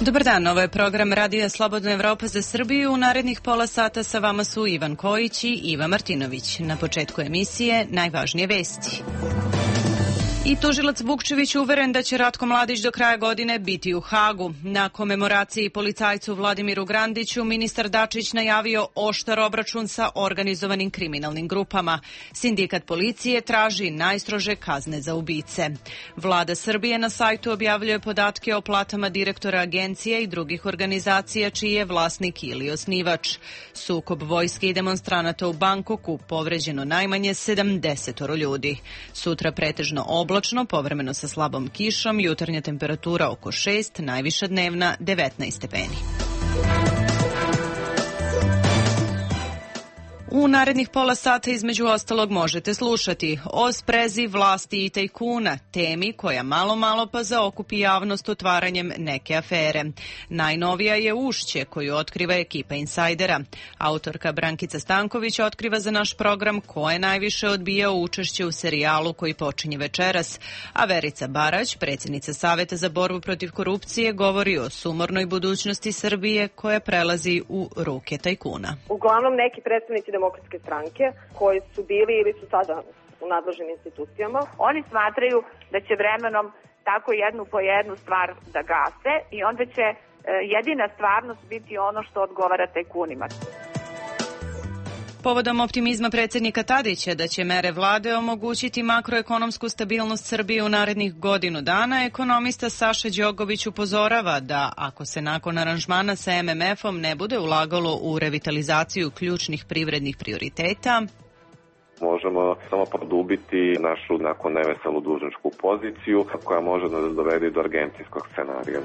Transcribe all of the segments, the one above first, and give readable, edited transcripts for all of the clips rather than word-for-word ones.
Dobar dan, ovo je program Radija Slobodna Evropa za Srbiju. U narednih pola sata sa vama su Ivan Kojić i Iva Martinović. Na početku emisije najvažnije vesti. I tužilac Vukčević uveren da će Ratko Mladić do kraja godine biti u Hagu. Na komemoraciji policajcu Vladimiru Grandiću ministar Dačić najavio oštar obračun sa organizovanim kriminalnim grupama. Sindikat policije traži najstrože kazne za ubice. Vlada Srbije na sajtu objavljuje podatke o platama direktora agencije i drugih organizacija čiji je vlasnik ili osnivač. Sukob vojske i demonstranata u Bangkoku, povređeno najmanje 70 ljudi. Sutra pretežno oblačno, povremeno sa slabom kišom, jutarnja temperatura oko 6, najviša dnevna 19 stepeni. U narednih pola sata između ostalog možete slušati o sprezi vlasti i tajkuna, temi koja malo pa zaokupi javnost otvaranjem neke afere. Najnovija je Ušće koju otkriva ekipa Insajdera. Autorka Brankica Stanković otkriva za naš program ko je najviše odbijao učešće u serijalu koji počinje večeras, a Verica Barać, predsjednica Saveta za borbu protiv korupcije, govori o sumornoj budućnosti Srbije koja prelazi u ruke tajkuna. Uglavnom neki predstavnici Demokratske stranke koji su bili ili su sada u nadležnim institucijama. Oni smatraju da će vremenom tako jednu po jednu stvar da gase i onda će jedina stvarnost biti ono što odgovara tajkunima. Povodom optimizma predsjednika Tadića da će mere vlade omogućiti makroekonomsku stabilnost Srbije u narednih godinu dana, ekonomista Saša Đogović upozorava da ako se nakon aranžmana sa MMF-om ne bude ulagalo u revitalizaciju ključnih privrednih prioriteta, možemo samo produbiti našu nakon neveselu dužničku poziciju koja može da dovede do argentinskog scenarija.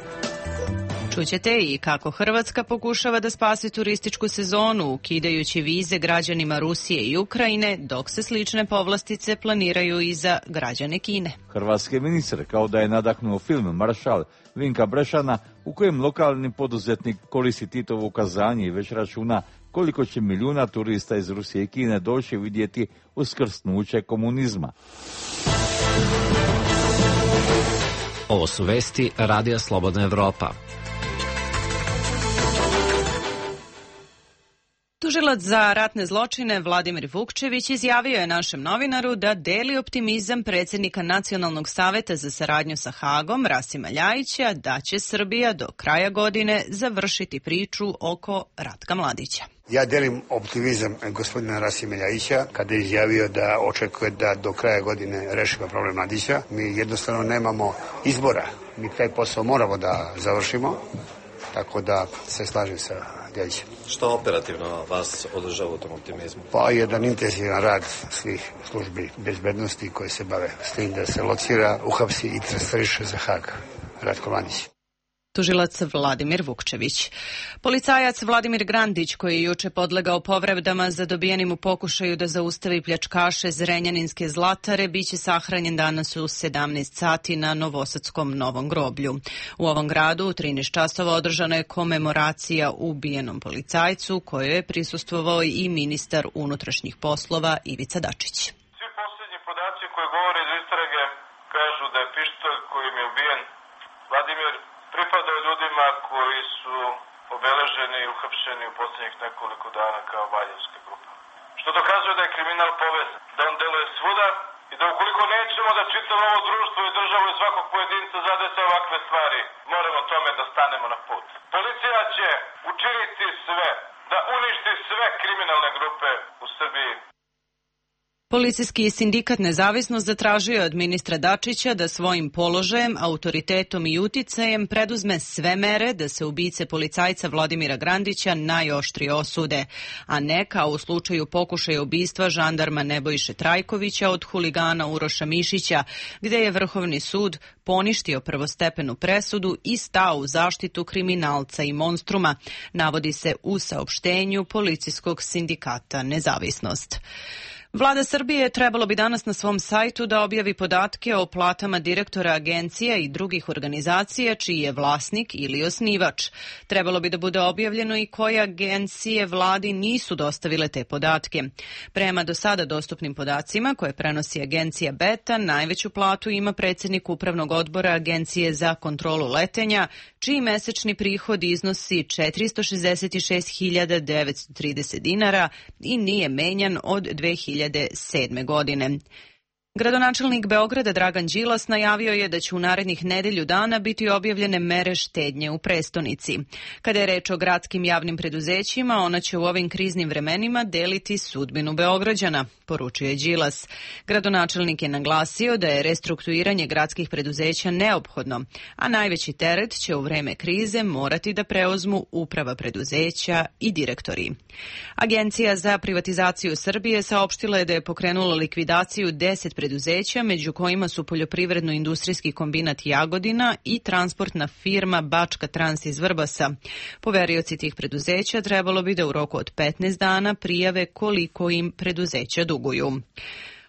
Čućete i kako Hrvatska pokušava da spasi turističku sezonu ukidajući vize građanima Rusije i Ukrajine, dok se slične povlastice planiraju i za građane Kine. Hrvatski ministar kao da je nadahnuo film Maršal Vinka Brešana u kojem lokalni poduzetnik koristi Titovo ukazanje i već računa koliko će milijuna turista iz Rusije i Kine doći vidjeti uskrsnuće komunizma. Ovo su vesti Radija Slobodna Evropa. Tužilac za ratne zločine Vladimir Vukčević izjavio je našem novinaru da deli optimizam predsjednika Nacionalnog saveta za saradnju sa Hagom, Rasima Ljajića, da će Srbija do kraja godine završiti priču oko Ratka Mladića. Ja delim optimizam gospodina Rasima Ljajića kada je izjavio da očekuje da do kraja godine rešimo problem Mladića. Mi jednostavno nemamo izbora. Mi taj posao moramo da završimo, tako da se slažem sa Ljajićem. Što operativno vas održava u tom optimizmu? Pa jedan intenzivan rad svih službi bezbednosti koje se bave s tim da se locira, uhapsi i transferiše za Hag Ratko Mladić. Tužilac Vladimir Vukčević. Policajac Vladimir Grandić, koji je juče podlegao povredama zadobijenim u pokušaju da zaustavi pljačkaše Zrenjaninske Zlatare, biće sahranjen danas u 17 sati na Novosadskom Novom groblju. U ovom gradu u 13 časova održana je komemoracija ubijenom policajcu, kojoj je prisustvovao i ministar unutrašnjih poslova Ivica Dačić. Svi posljednji podaci koji govore iz istrage kažu da je pištolj kojim je ubijen Vladimir pripadao ljudima koji su obeleženi i uhapšeni u posljednjih nekoliko dana kao Valjevska grupa. Što dokazuje da je kriminal povezan, da on deluje svuda i da ukoliko nećemo da čitamo ovo društvo i državu i svakog pojedinca zadese ovakve stvari, moramo tome da stanemo na put. Policija će učiniti sve da uništi sve kriminalne grupe u Srbiji. Policijski sindikat Nezavisnost zatražio je od ministra Dačića da svojim položajem, autoritetom i uticajem preduzme sve mere da se ubice policajca Vladimira Grandića najoštrije osude, a ne kao u slučaju pokušaja ubistva žandarma Nebojše Trajkovića od huligana Uroša Mišića, gde je Vrhovni sud poništio prvostepenu presudu i stao u zaštitu kriminalca i monstruma, navodi se u saopštenju policijskog sindikata Nezavisnost. Vlada Srbije trebalo bi danas na svom sajtu da objavi podatke o platama direktora agencija i drugih organizacija čiji je vlasnik ili osnivač. Trebalo bi da bude objavljeno i koje agencije vladi nisu dostavile te podatke. Prema do sada dostupnim podacima koje prenosi agencija Beta, najveću platu ima predsjednik upravnog odbora Agencije za kontrolu letenja, čiji mesečni prihod iznosi 466.930 dinara i nije menjan od 2007. godine. Gradonačelnik Beograda Dragan Đilas najavio je da će u narednih nedelju dana biti objavljene mere štednje u prestonici. Kada je reč o gradskim javnim preduzećima, ona će u ovim kriznim vremenima deliti sudbinu Beograđana, poručio je Đilas. Gradonačelnik je naglasio da je restrukturiranje gradskih preduzeća neophodno, a najveći teret će u vreme krize morati da preuzmu uprava preduzeća i direktori. Agencija za privatizaciju Srbije saopštila je da je pokrenula likvidaciju 10 preduzeća, među kojima su poljoprivredno-industrijski kombinat Jagodina i transportna firma Bačka Trans iz Vrbasa. Poverioci tih preduzeća trebalo bi da u roku od 15 dana prijave koliko im preduzeća duguju.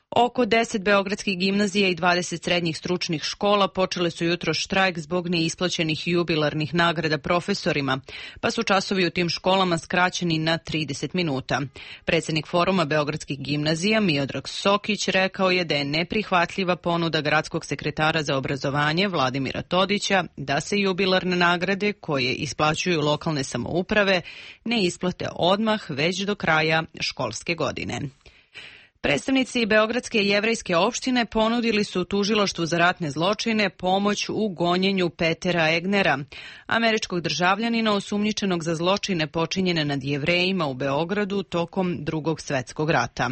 Oko 10 beogradskih gimnazija i 20 srednjih stručnih škola počele su jutro štrajk zbog neisplaćenih jubilarnih nagrada profesorima, pa su časovi u tim školama skraćeni na 30 minuta. Predsjednik Foruma beogradskih gimnazija Miodrag Sokić rekao je da je neprihvatljiva ponuda gradskog sekretara za obrazovanje Vladimira Todića da se jubilarne nagrade koje isplaćuju lokalne samouprave ne isplate odmah već do kraja školske godine. Predstavnici Beogradske jevrejske opštine ponudili su tužilaštvu za ratne zločine pomoć u gonjenju Petera Egnera, američkog državljanina osumnjičenog za zločine počinjene nad Jevrejima u Beogradu tokom Drugog svetskog rata.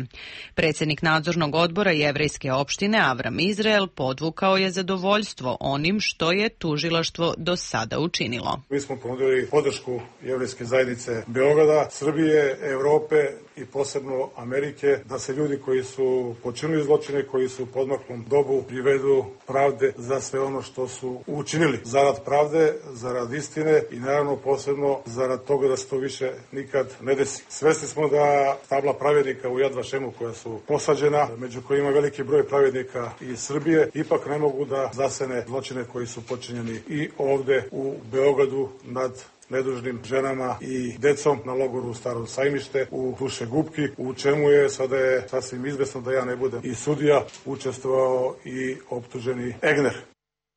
Predsjednik nadzornog odbora jevrejske opštine Avram Izrael podvukao je zadovoljstvo onim što je tužilaštvo do sada učinilo. Mi smo ponudili podršku jevrejske zajednice Beograda, Srbije, Evrope i posebno Amerike, da se ljudi koji su počinili zločine, koji su u podmaklom dobu privedu pravde za sve ono što su učinili. Zarad pravde, zarad istine i naravno posebno zarad toga da se to više nikad ne desi. Svesni smo da tabla pravednika u Yad Vašemu koja su posađena, među kojima veliki broj pravednika iz Srbije, ipak ne mogu da zasene zločine koji su počinjeni i ovde u Beogradu nad nedužnim ženama i decom na logoru u Starom Sajmište u Dušegupki, u čemu je sada je sasvim izvesno da ja ne budem i sudija, učestvovao i optuženi Egner.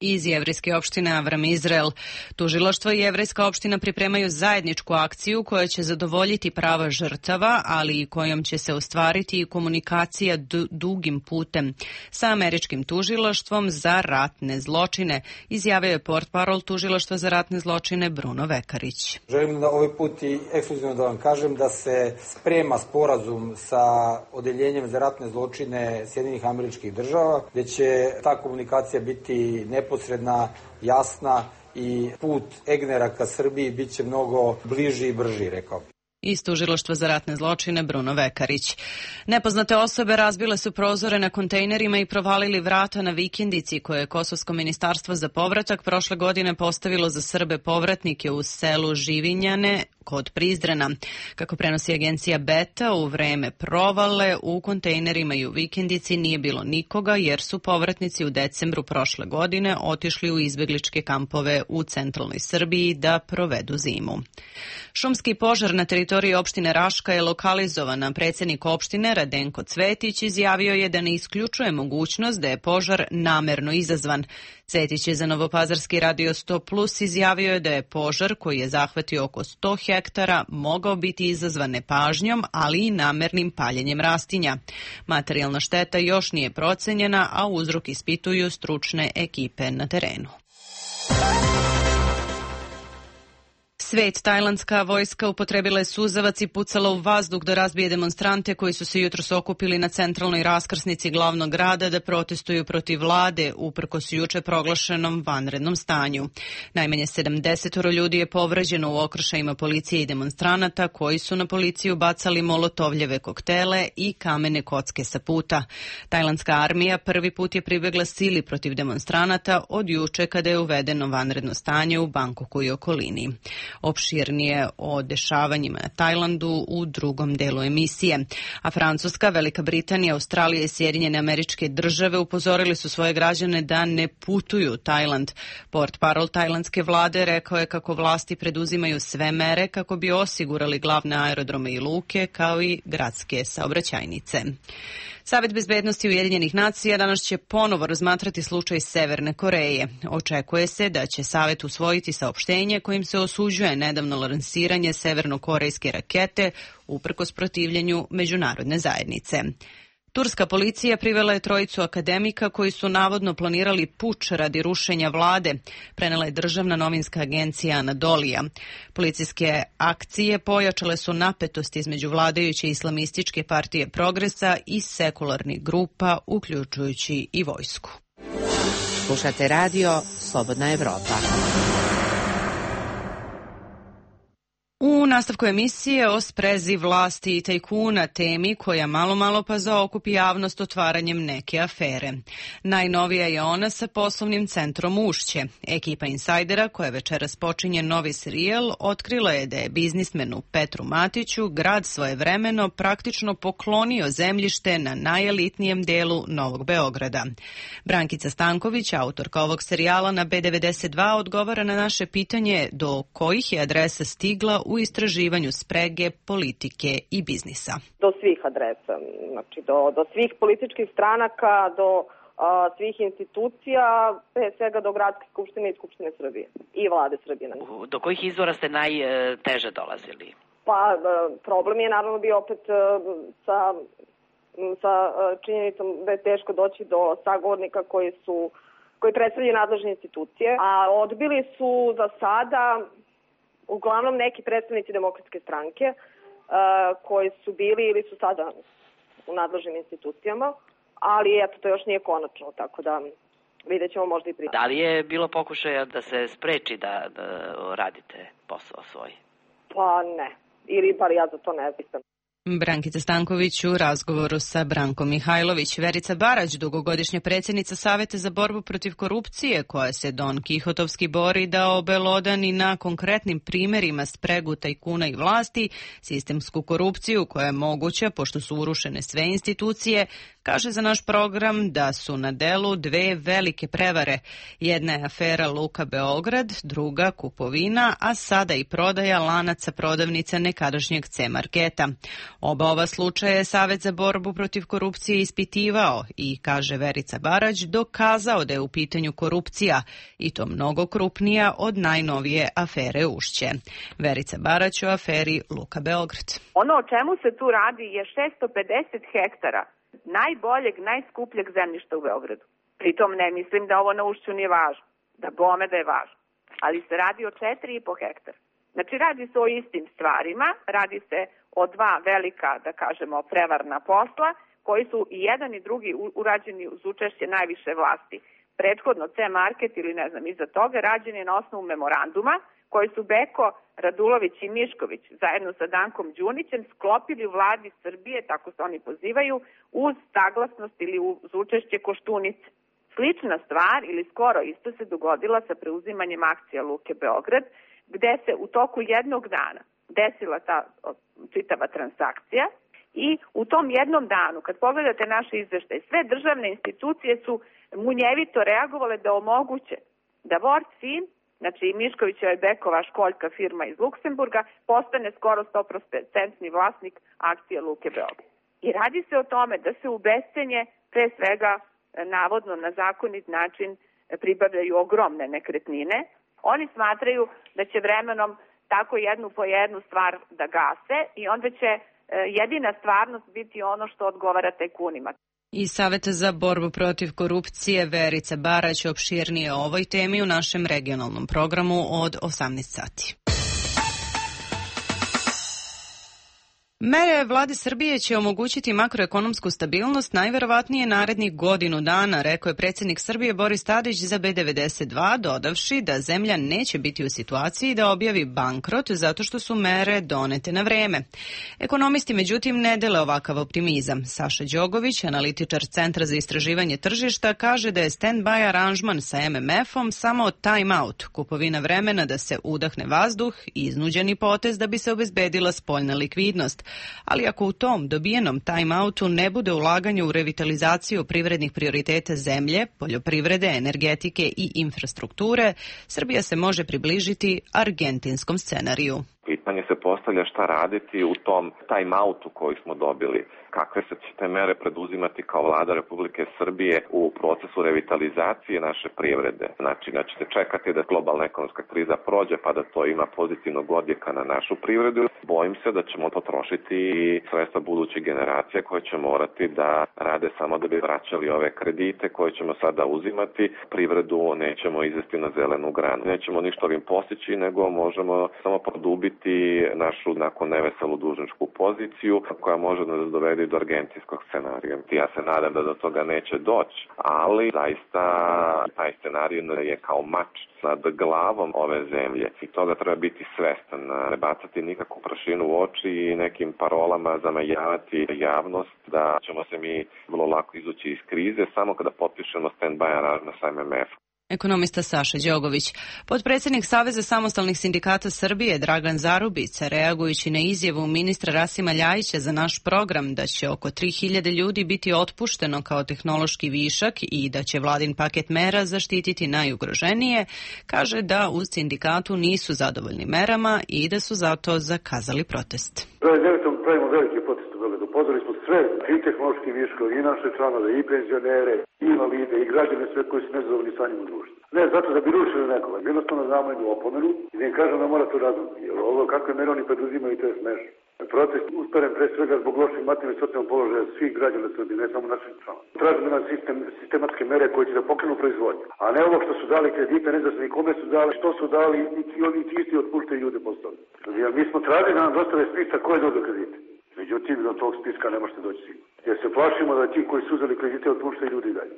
Iz jevrejske opštine Avram Izrael. Tužilaštvo i jevrejska opština pripremaju zajedničku akciju koja će zadovoljiti prava žrtava, ali i kojom će se ostvariti i komunikacija dugim putem sa američkim tužilaštvom za ratne zločine, izjavio je portparol tužilaštva za ratne zločine Bruno Vekarić. Želim da ovaj put i ekskluzivno da vam kažem da se sprema sporazum sa odeljenjem za ratne zločine Sjedinjenih Američkih Država, gde će ta komunikacija biti neposredna, jasna i put Egnera ka Srbiji bit će mnogo bliži i brži, rekao bih. Iz tužilaštva za ratne zločine Bruno Vekarić. Nepoznate osobe razbile su prozore na kontejnerima i provalili vrata na vikendici koje je Kosovsko ministarstvo za povratak prošle godine postavilo za Srbe povratnike u selu Živinjane kod Prizrena. Kako prenosi agencija Beta, u vreme provale u kontejnerima i u vikendici nije bilo nikoga jer su povratnici u decembru prošle godine otišli u izbegličke kampove u centralnoj Srbiji da provedu zimu. Šumski požar na teritoriji opštine Raška je lokalizovan. Predsjednik opštine Radenko Cvetić izjavio je da ne isključuje mogućnost da je požar namerno izazvan. Cvetić je za Novopazarski radio 100+ izjavio je da je požar koji je zahvatio oko 100 hektara mogao biti izazvan nepažnjom, ali i namernim paljenjem rastinja. Materijalna šteta još nije procenjena, a uzrok ispituju stručne ekipe na terenu. Svet, tajlandska vojska upotrebila je suzavac i pucala u vazduh da razbije demonstrante koji su se jutros okupili na centralnoj raskrsnici glavnog grada da protestuju protiv vlade uprkos juče proglašenom vanrednom stanju. Najmanje 70 ljudi je povređeno u okršajima policije i demonstranata koji su na policiju bacali molotovljeve koktele i kamene kocke sa puta. Tajlandska armija prvi put je pribegla sili protiv demonstranata od juče kada je uvedeno vanredno stanje u Bangkoku i okolini. Opširnije o dešavanjima na Tajlandu u drugom delu emisije. A Francuska, Velika Britanija, Australija i Sjedinjene Američke Države upozorili su svoje građane da ne putuju u Tajland. Portparol tajlandske vlade rekao je kako vlasti preduzimaju sve mere kako bi osigurali glavne aerodrome i luke kao i gradske saobraćajnice. Savet bezbednosti Ujedinjenih nacija danas će ponovo razmatrati slučaj Severne Koreje. Očekuje se da će Savet usvojiti saopštenje kojim se osuđuje nedavno lansiranje severnokorejske rakete uprkos protivljenju međunarodne zajednice. Turska policija privela je trojicu akademika koji su navodno planirali puč radi rušenja vlade, prenela je državna novinska agencija Anadolija. Policijske akcije pojačale su napetost između vladajuće islamističke partije Progresa i sekularnih grupa, uključujući i vojsku. Slušate radio Slobodna Evropa. U nastavku emisije o sprezi vlasti i tajkuna, temi koja malo pa zaokupi javnost otvaranjem neke afere. Najnovija je ona sa poslovnim centrom Ušće. Ekipa insajdera, koja večeras počinje novi serijal, otkrila je da je biznismenu Petru Matiću grad svojevremeno praktično poklonio zemljište na najelitnijem delu Novog Beograda. Brankica Stanković, autorka ovog serijala na B92, odgovara na naše pitanje do kojih je adresa stigla u istraživanju sprege politike i biznisa. Do svih adresa, znači do svih političkih stranaka, do svih institucija, pre svega do Gradske skupštine i Skupštine Srbije i Vlade Srbije. Do kojih izvora ste najteže dolazili? Pa problem je naravno bio opet sa činjenicom da je teško doći do sagovornika koji predstavljaju nadležne institucije, a odbili su za sada uglavnom neki predstavnici Demokratske stranke koji su bili ili su sada u nadležnim institucijama, ali eto, to još nije konačno, tako da vidjet ćemo možda i prije. Da li je bilo pokušaja da se spreči da radite posao svoj? Pa ne, ili bar ja za to ne znam. Brankica Stanković u razgovoru sa Brankom Mihajlović. Verica Barać, dugogodišnja predsjednica Saveta za borbu protiv korupcije, koja se Don Kihotovski bori da obelodani na konkretnim primjerima spregu tajkuna i vlasti, sistemsku korupciju koja je moguća pošto su urušene sve institucije, kaže za naš program da su na delu dve velike prevare. Jedna je afera Luka Beograd, druga kupovina, a sada i prodaja lanaca prodavnica nekadašnjeg C-marketa. Oba ova slučaja je Savet za borbu protiv korupcije ispitivao i, kaže Verica Barać, dokazao da je u pitanju korupcija i to mnogo krupnija od najnovije afere Ušće. Verica Barać o aferi Luka Beograd. Ono o čemu se tu radi je 650 hektara najboljeg, najskupljeg zemljišta u Beogradu. Pritom ne mislim da ovo na Ušću nije važno, da bome da je važno, ali se radi o 4,5 hektara. Znači radi se o istim stvarima, radi se o dva velika, da kažemo, prevarna posla, koji su i jedan i drugi urađeni uz učešće najviše vlasti. Prethodno C-market ili ne znam iza toga rađen je na osnovu memoranduma koji su Beko, Radulović i Mišković zajedno sa Dankom Đunićem sklopili u vladi Srbije, tako se oni pozivaju, uz saglasnost ili uz učešće Koštunice. Slična stvar ili skoro isto se dogodila sa preuzimanjem akcija Luke Beograd, gde se u toku jednog dana desila ta čitava transakcija i u tom jednom danu, kad pogledate naše izveštaje, sve državne institucije su munjevito reagovale da omoguće da Vortfin, znači Miškovićeva i Bekova školjka firma iz Luksemburga, postane skoro 100% vlasnik akcije Luke Beograd. I radi se o tome da se u bescenje, pre svega navodno na zakonit način, pribavljaju ogromne nekretnine. Oni smatraju da će vremenom tako jednu po jednu stvar da gase i onda će jedina stvarnost biti ono što odgovara tajkunima. Iz Saveta za borbu protiv korupcije Verica Barać opširnije o ovoj temi u našem regionalnom programu od 18 sati. Mere vlade Srbije će omogućiti makroekonomsku stabilnost najverovatnije narednih godinu dana, rekao je predsjednik Srbije Boris Tadić za B92, dodavši da zemlja neće biti u situaciji da objavi bankrot zato što su mere donete na vreme. Ekonomisti međutim ne dele ovakav optimizam. Saša Đogović, analitičar Centra za istraživanje tržišta, kaže da je stand-by aranžman sa MMF-om samo time-out, kupovina vremena da se udahne vazduh i iznuđeni potez da bi se obezbedila spoljna likvidnost. Ali ako u tom dobijenom time-outu ne bude ulaganje u revitalizaciju privrednih prioriteta zemlje, poljoprivrede, energetike i infrastrukture, Srbija se može približiti argentinskom scenariju. Pitanje se postavlja šta raditi u tom time-outu koji smo dobili. Kakve se će te mere preduzimati kao vlada Republike Srbije u procesu revitalizacije naše privrede. Znači da ćete čekati da globalna ekonomska kriza prođe pa da to ima pozitivnog odjeka na našu privredu. Bojim se da ćemo potrošiti sredstva budućih generacija koje će morati da rade samo da bi vraćali ove kredite koje ćemo sada uzimati. Privredu nećemo izvesti na zelenu granu. Nećemo ništa ovim postići, nego možemo samo produbiti našu nakon neveselu dužničku poziciju koja može da nas dovede do argentinskog scenarija. Ja se nadam da do toga neće doći, ali zaista taj scenarij je kao mač nad glavom ove zemlje i toga treba biti svestan, ne bacati nikakvu prašinu u oči i nekim parolama zamajavati javnost da ćemo se mi vrlo lako izući iz krize samo kada potpišemo stand-by aranžman sa MMF. Ekonomista Saša Đogović. Potpredsjednik Saveza samostalnih sindikata Srbije Dragan Zarubica, reagujući na izjavu ministra Rasima Ljajića za naš program da će oko 3000 ljudi biti otpušteno kao tehnološki višak i da će vladin paket mera zaštititi najugroženije, kaže da u sindikatu nisu zadovoljni merama i da su zato zakazali protest. Pravimo veliki protest u Beogradu. Pozvali smo sve i tehnološki viškovi, i naše članove, i penzionere, i invalide, i građane, sve koji su nezadovoljni stanjem u društvu. Ne zato da bi rušili nekoga, jednostavno znamo jednu opomenu i da im kažem da mora to razumiti. Jer ovo kakve mere oni preduzimaju, to je smešno. Protest usperen pre svega zbog loših materijalnih i socijalnog položaja svih građana Srbije, ne samo naših članova. Tražimo na sistematske mere koje će da pokrenu proizvodnju. A ne ovo što su dali kredite, ne znam ni kome su dali, što su dali i oni isti otpuštaju ljude postali. Jer mi smo tražili da nam dostave spisak ko je dobio kredite. Međutim, do tog spiska ne možete doći sigurno. Jer se plašimo da ti koji su uzeli kredite otpuštaju ljudi i dalje.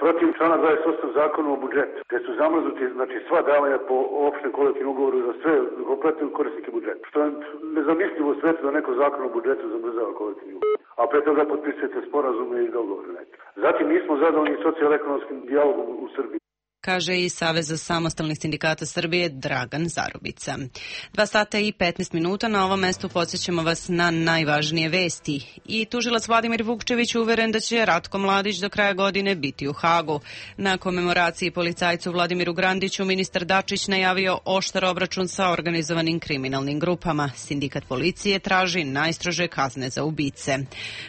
Protiv člana 28 zakona o budžetu, gde su zamrznuti sva davanja po opštem kolektivnom ugovoru za sve kompletne korisnike budžeta. Što je nezamislivo u svetu da neko zakon o budžetu zamrzava kolektivni ugovor. A pre toga potpisujete sporazume i dogovore neke. Zatim nismo zadovoljni socijalno-ekonomskim dijalogom u Srbiji, kaže i Saveza samostalnih sindikata Srbije Dragan Zarubica. 2 sata i 15 minuta, na ovom mestu podsjećamo vas na najvažnije vesti. I tužilac Vladimir Vukčević uveren da će Ratko Mladić do kraja godine biti u Hagu. Na komemoraciji policajcu Vladimiru Grandiću ministar Dačić najavio oštar obračun sa organizovanim kriminalnim grupama. Sindikat policije traži najstrože kazne za ubice.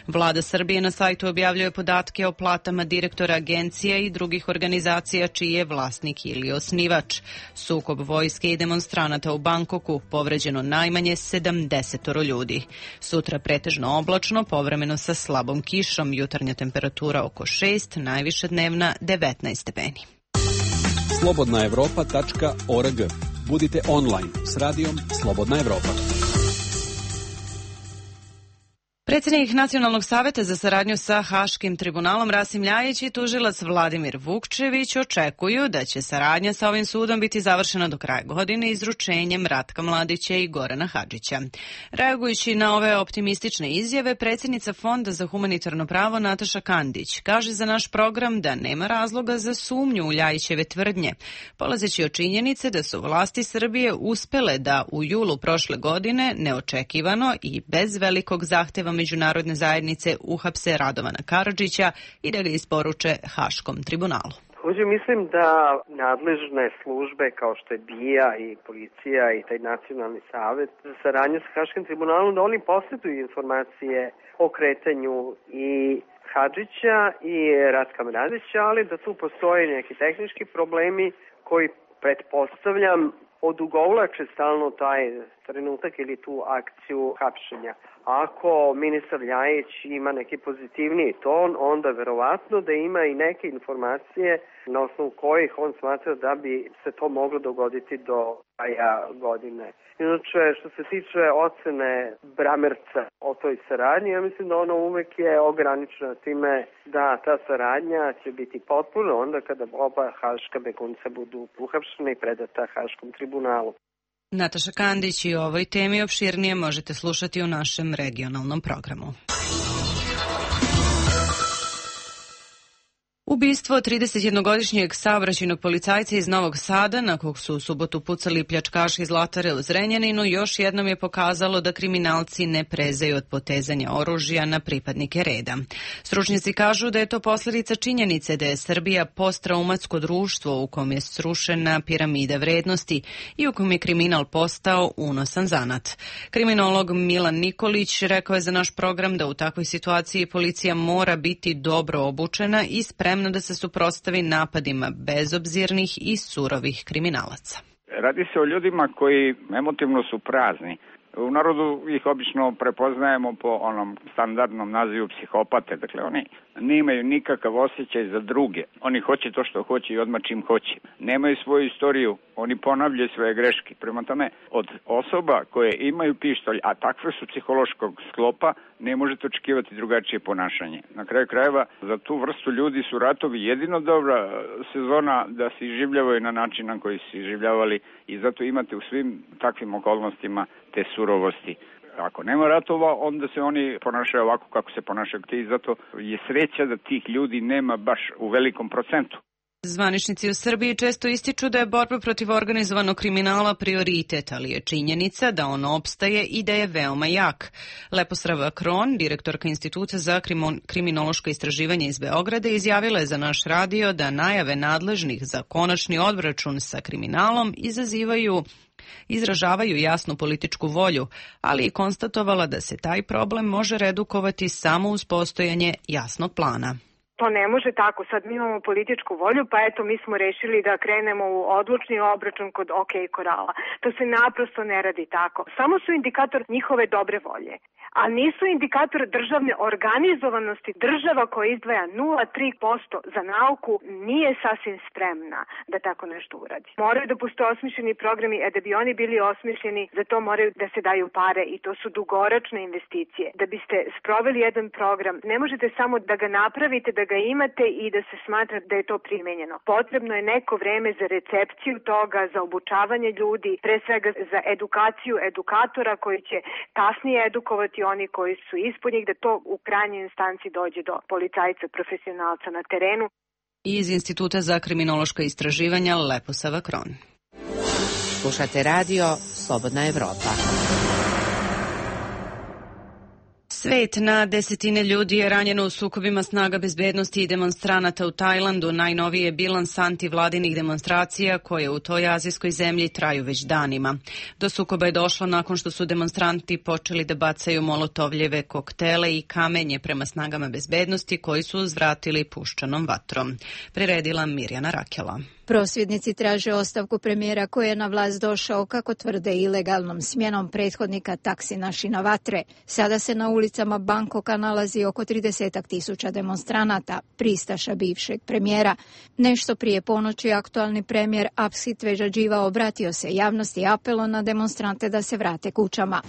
Vlada Srbije na sajtu objavljuje podatke o platama direktora agencija i drugih organizacija čiji je vlasnik ili osnivač. Sukob vojske i demonstranata u Bankoku, povređeno najmanje 70 ljudi. Sutra pretežno oblačno, povremeno sa slabom kišom, jutarnja temperatura oko 6, najviša dnevna 19 stepeni. Slobodnaevropa.org. Budite online s radijom Slobodna Evropa. Predsjednik Nacionalnog saveta za saradnju sa Haškim tribunalom Rasim Ljajić i tužilac Vladimir Vukčević očekuju da će saradnja sa ovim sudom biti završena do kraja godine izručenjem Ratka Mladića i Gorana Hadžića. Reagujući na ove optimistične izjave, predsjednica Fonda za humanitarno pravo Nataša Kandić kaže za naš program da nema razloga za sumnju u Ljajićeve tvrdnje, polazeći od činjenice da su vlasti Srbije uspele da u julu prošle godine neočekivano i bez velikog zahteva međunarodne zajednice uhapse Radovana Karadžića i da ga isporuče Haškom tribunalu. Također mislim da nadležne službe kao što je BIA i policija i taj nacionalni savet za saradnju sa Haškim tribunalom, da oni posjeduju informacije o kretanju i Hadžića i Ratka Mladića, ali da tu postoje neki tehnički problemi koji pretpostavljam odugovlače stalno taj trenutak ili tu akciju hapšenja. Ako ministar Ljajić ima neki pozitivniji ton, onda verovatno da ima i neke informacije na osnovu kojih on smatra da bi se to moglo dogoditi do kraja godine. Inače, što se tiče ocene Bramerca o toj saradnji, ja mislim da ono uvek je ograničena time da ta saradnja će biti potpuno onda kada oba haška begunca budu uhapšeni i predata Haškom tribunalu. Nataša Kandić i o ovoj temi opširnije možete slušati u našem regionalnom programu. Ubistvo 31-godišnjeg saobraćajnog policajca iz Novog Sada, na kog su u subotu pucali pljačkaši iz Zlatare u Zrenjaninu, još jednom je pokazalo da kriminalci ne prezaju od potezanja oružja na pripadnike reda. Stručnjaci kažu da je to posljedica činjenice da je Srbija posttraumatsko društvo u kom je srušena piramida vrednosti i u kom je kriminal postao unosan zanat. Kriminolog Milan Nikolić rekao je za naš program da u takvoj situaciji policija mora biti dobro obučena i spremna da se suprotstavi napadima bezobzirnih i surovih kriminalaca. Radi se o ljudima koji emotivno su prazni. U narodu ih obično prepoznajemo po onom standardnom nazivu psihopate. Dakle, oni nemaju nikakav osjećaj za druge. Oni hoće to što hoće i odmah čim hoće. Nemaju svoju istoriju, oni ponavljaju svoje greške. Prema tome, od osoba koje imaju pištolj, a takve su psihološkog sklopa, ne možete očekivati drugačije ponašanje. Na kraju krajeva, za tu vrstu ljudi su ratovi jedino dobra sezona da se iživljavaju na način na koji se iživljavali i zato imate u svim takvim okolnostima te surovosti. Ako nema ratova, onda se oni ponašaju ovako kako se ponašaju i zato je sreća da tih ljudi nema baš u velikom procentu. Zvaničnici u Srbiji često ističu da je borba protiv organizovanog kriminala prioritet, ali je činjenica da on opstaje i da je veoma jak. Leposrava Kron, direktorka Instituta za kriminološko istraživanje iz Beograda, izjavila je za naš radio da najave nadležnih za konačni obračun sa kriminalom izražavaju jasnu političku volju, ali i konstatovala da se taj problem može redukovati samo uz postojanje jasnog plana. To ne može tako. Sad mi imamo političku volju, pa eto mi smo rešili da krenemo u odlučni obračun kod OK Korala. To se naprosto ne radi tako. Samo su indikator njihove dobre volje, a nisu indikator državne organizovanosti. Država koja izdvaja 0,3% za nauku nije sasvim spremna da tako nešto uradi. Moraju da postoje osmišljeni programi, a da bi oni bili osmišljeni, za to moraju da se daju pare i to su dugoročne investicije. Da biste sproveli jedan program, ne možete samo da ga napravite, da ga imate i da se smatra da je to primenjeno. Potrebno je neko vreme za recepciju toga, za obučavanje ljudi, pre svega za edukaciju edukatora koji će kasnije edukovati oni koji su ispod njih, da to u krajnjoj instanci dođe do policajca, profesionalca na terenu. Iz Instituta za kriminološko istraživanja Leposava Kron. Slušate radio Slobodna Evropa. Svet, na desetine ljudi je ranjeno u sukobima snaga bezbednosti i demonstranata u Tajlandu. Najnoviji je bilans antivladinih demonstracija koje u toj azijskoj zemlji traju već danima. Do sukoba je došlo nakon što su demonstranti počeli da bacaju molotovljeve koktele i kamenje prema snagama bezbednosti koji su uzvratili puščanom vatrom. Priredila Mirjana Rakela. Prosvjednici traže ostavku premijera koji je na vlast došao, kako tvrde, ilegalnom smjenom prethodnika Taksina Shinawatre. Sada se na ulicama Bangkoka nalazi oko 30.000 demonstranata, pristaša bivšeg premijera. Nešto prije ponoći aktualni premijer Apsit Vežadživa obratio se javnosti i apelom na demonstrante da se vrate kućama.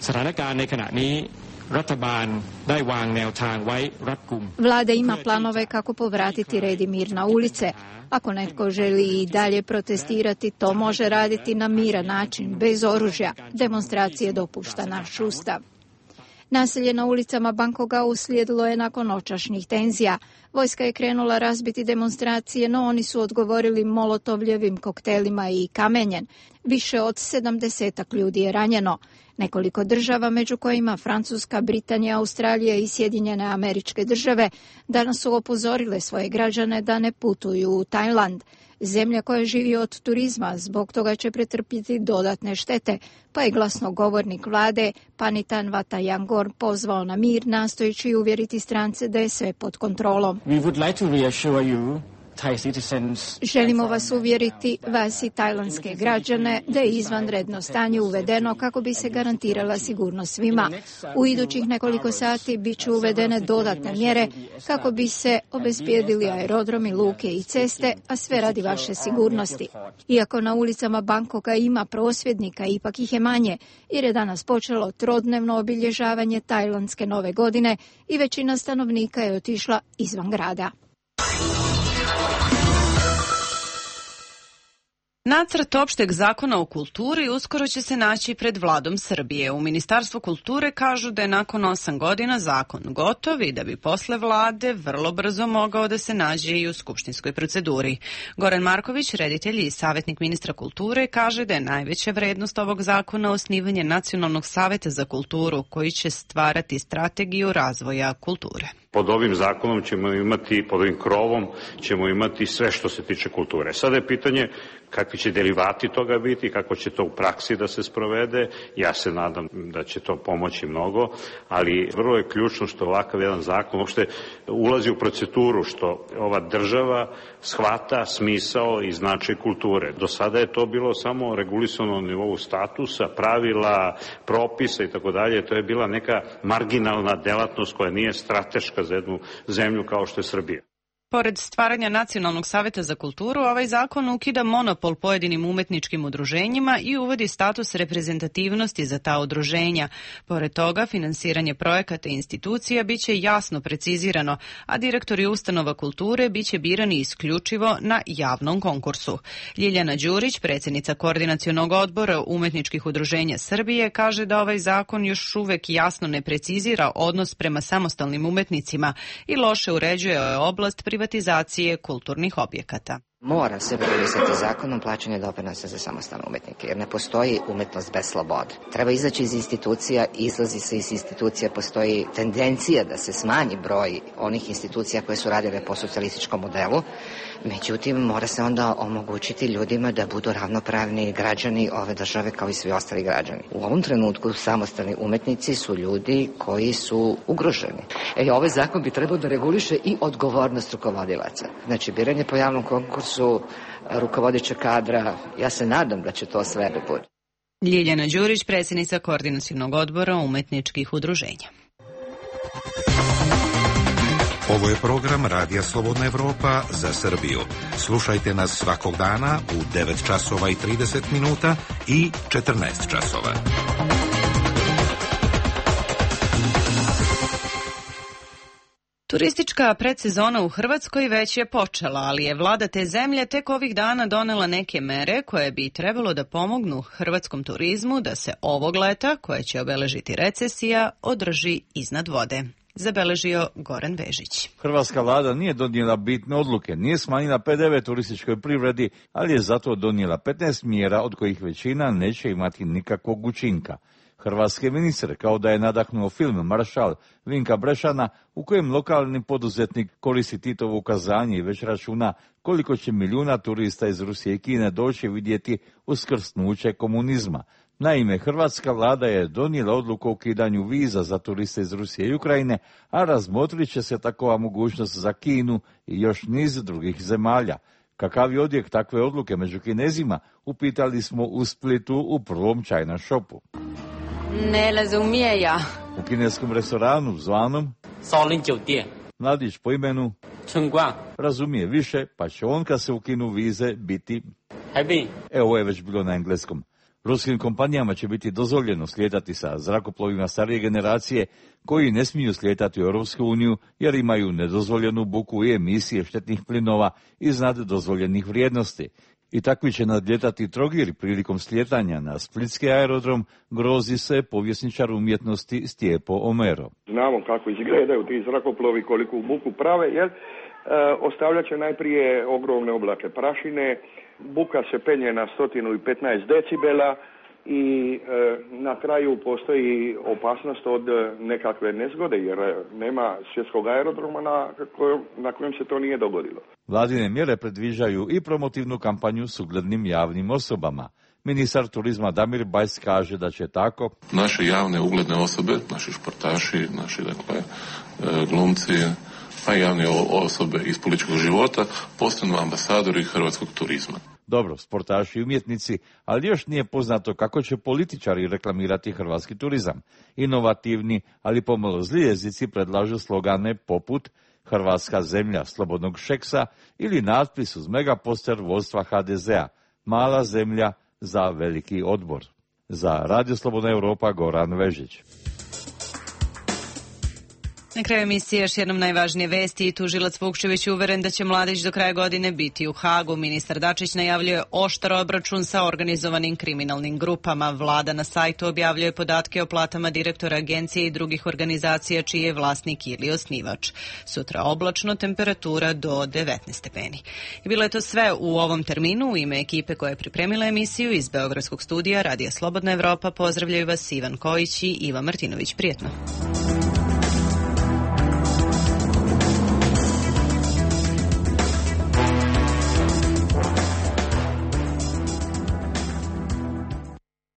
Vlada ima planove kako povratiti red i mir na ulice. Ako netko želi i dalje protestirati, to može raditi na miran način, bez oružja. Demonstracije dopušta naš ustav. Nasilje na ulicama Bangkoka uslijedilo je nakon noćašnjih tenzija. Vojska je krenula razbiti demonstracije, no oni su odgovorili molotovljevim koktelima i kamenjem. Više od 70 ljudi je ranjeno. Nekoliko država, među kojima Francuska, Britanija, Australija i Sjedinjene Američke Države, danas su upozorile svoje građane da ne putuju u Tajland. Zemlja koja živi od turizma, zbog toga će pretrpjeti dodatne štete, pa je glasnogovornik vlade Panitan Vatayangor pozvao na mir, nastojeći uvjeriti strance da je sve pod kontrolom. Želimo vas uvjeriti, vas i tajlandske građane, da je izvanredno stanje uvedeno kako bi se garantirala sigurnost svima. U idućih nekoliko sati bit će uvedene dodatne mjere kako bi se obezbijedili aerodromi, luke i ceste, a sve radi vaše sigurnosti. Iako na ulicama Bangkoka ima prosvjednika, ipak ih je manje, jer je danas počelo trodnevno obilježavanje tajlandske nove godine i većina stanovnika je otišla izvan grada. Nacrt opšteg zakona o kulturi uskoro će se naći pred vladom Srbije. U Ministarstvu kulture kažu da je nakon 8 godina zakon gotov i da bi posle vlade vrlo brzo mogao da se nađe i u skupštinskoj proceduri. Goran Marković, reditelj i savjetnik ministra kulture, kaže da je najveća vrednost ovog zakona osnivanje Nacionalnog saveta za kulturu koji će stvarati strategiju razvoja kulture. Pod ovim zakonom ćemo imati, pod ovim krovom ćemo imati sve što se tiče kulture. Sada je pitanje kakvi će derivati toga biti, kako će to u praksi da se sprovede. Ja se nadam da će to pomoći mnogo, ali vrlo je ključno što ovakav jedan zakon uopšte ulazi u proceduru, što ova država shvata smisao i značaj kulture. Do sada je to bilo samo regulisano na nivou statusa, pravila, propisa i tako dalje. To je bila neka marginalna delatnost koja nije strateška za jednu zemlju kao što je Srbija. Pored stvaranja Nacionalnog saveta za kulturu, ovaj zakon ukida monopol pojedinim umetničkim udruženjima i uvodi status reprezentativnosti za ta udruženja. Pored toga, finansiranje projekata i institucija biće jasno precizirano, a direktori ustanova kulture biće birani isključivo na javnom konkursu. Ljiljana Đurić, predsjednica Koordinacionog odbora umetničkih udruženja Srbije, kaže da ovaj zakon još uvek jasno ne precizira odnos prema samostalnim umetnicima i loše uređuje oblast privatizacije kulturnih objekata. Mora se regulisati zakonom plaćanje doprinosa za samostalne umetnike, jer ne postoji umetnost bez slobode. Treba izaći iz institucija, izlazi se iz institucija, postoji tendencija da se smanji broj onih institucija koje su radile po socijalističkom modelu, međutim mora se onda omogućiti ljudima da budu ravnopravni građani ove države kao i svi ostali građani. U ovom trenutku samostalni umetnici su ljudi koji su ugroženi. Ovaj zakon bi trebao da reguliše i odgovornost rukovodilaca. Znači, biranje po javnom konkursu rukovodećeg kadra, ja se nadam da će to sve da bude. Ljiljana Đurić, predsjednica Koordinacionog odbora umetničkih udruženja. Ovo je program Radija Slobodna Evropa za Srbiju. Slušajte nas svakog dana u 9 časova i 30 minuta i 14 časova. Turistička predsezona u Hrvatskoj već je počela, ali je vlada te zemlje tek ovih dana donela neke mere koje bi trebalo da pomognu hrvatskom turizmu da se ovog leta, koje će obeležiti recesija, održi iznad vode. Zabeležio Goran Vežić. Hrvatska vlada nije donijela bitne odluke, nije smanjila PDV turističkoj privredi, ali je zato donijela 15 mjera od kojih većina neće imati nikakvog učinka. Hrvatski ministar, kao da je nadahnuo film Maršal Vinka Brešana, u kojem lokalni poduzetnik koristi Titovo ukazanje i već računa koliko će milijuna turista iz Rusije i Kine doći vidjeti uskrsnuće komunizma. Naime, hrvatska vlada je donijela odluku o ukidanju viza za turiste iz Rusije i Ukrajine, a razmotrit će se takova mogućnost za Kinu i još niz drugih zemalja. Kakav je odjek takve odluke među Kinezima, upitali smo u Splitu u prvom China shopu. Ne razumije ja. U kineskom restoranu zvanom mladić po imenu razumije više, pa će on kad se ukinu vize biti... Ovo je već bilo na engleskom. Ruskim kompanijama će biti dozvoljeno slijetati sa zrakoplovima starije generacije koji ne smiju slijetati u Europsku uniju jer imaju nedozvoljenu buku i emisije štetnih plinova iznad dozvoljenih vrijednosti. I takvi će nadljetati Trogir prilikom slijetanja na splitski aerodrom, grozi se povjesničar umjetnosti Stjepo Omero. Znamo kako izgledaju ti zrakoplovi, koliku buku prave, jer ostavljat će najprije ogromne oblake prašine, buka se penje na 115 decibela i na kraju postoji opasnost od nekakve nezgode, jer nema svjetskog aerodroma na kojem se to nije dogodilo. Vladine mjere predviđaju i promotivnu kampanju s uglednim javnim osobama. Ministar turizma Damir Bajs kaže da će tako naše javne ugledne osobe, naši športaši, naši glumci, pa i javne osobe iz političkog života postanu ambasadori hrvatskog turizma. Dobro, sportaši i umjetnici, ali još nije poznato kako će političari reklamirati hrvatski turizam. Inovativni, ali pomalo zli jezici predlažu slogane poput Hrvatska zemlja slobodnog šeksa ili natpis uz megaposter vodstva HDZ-a, mala zemlja za veliki odbor. Za Radio Slobodna Europa, Goran Vežić. Na kraju emisije još jednom najvažnije vesti. Tužilac Vukčević uveren da će Mladić do kraja godine biti u Hagu. Ministar Dačić najavljuje oštar obračun sa organizovanim kriminalnim grupama. Vlada na sajtu objavljuje podatke o platama direktora agencije i drugih organizacija čiji je vlasnik ili osnivač. Sutra oblačno, temperatura do 19 stepeni. I bilo je to sve u ovom terminu. U ime ekipe koja je pripremila emisiju iz Beogradskog studija Radija Slobodna Evropa pozdravljaju vas Ivan Kojić i Iva Martinović. Prijetno.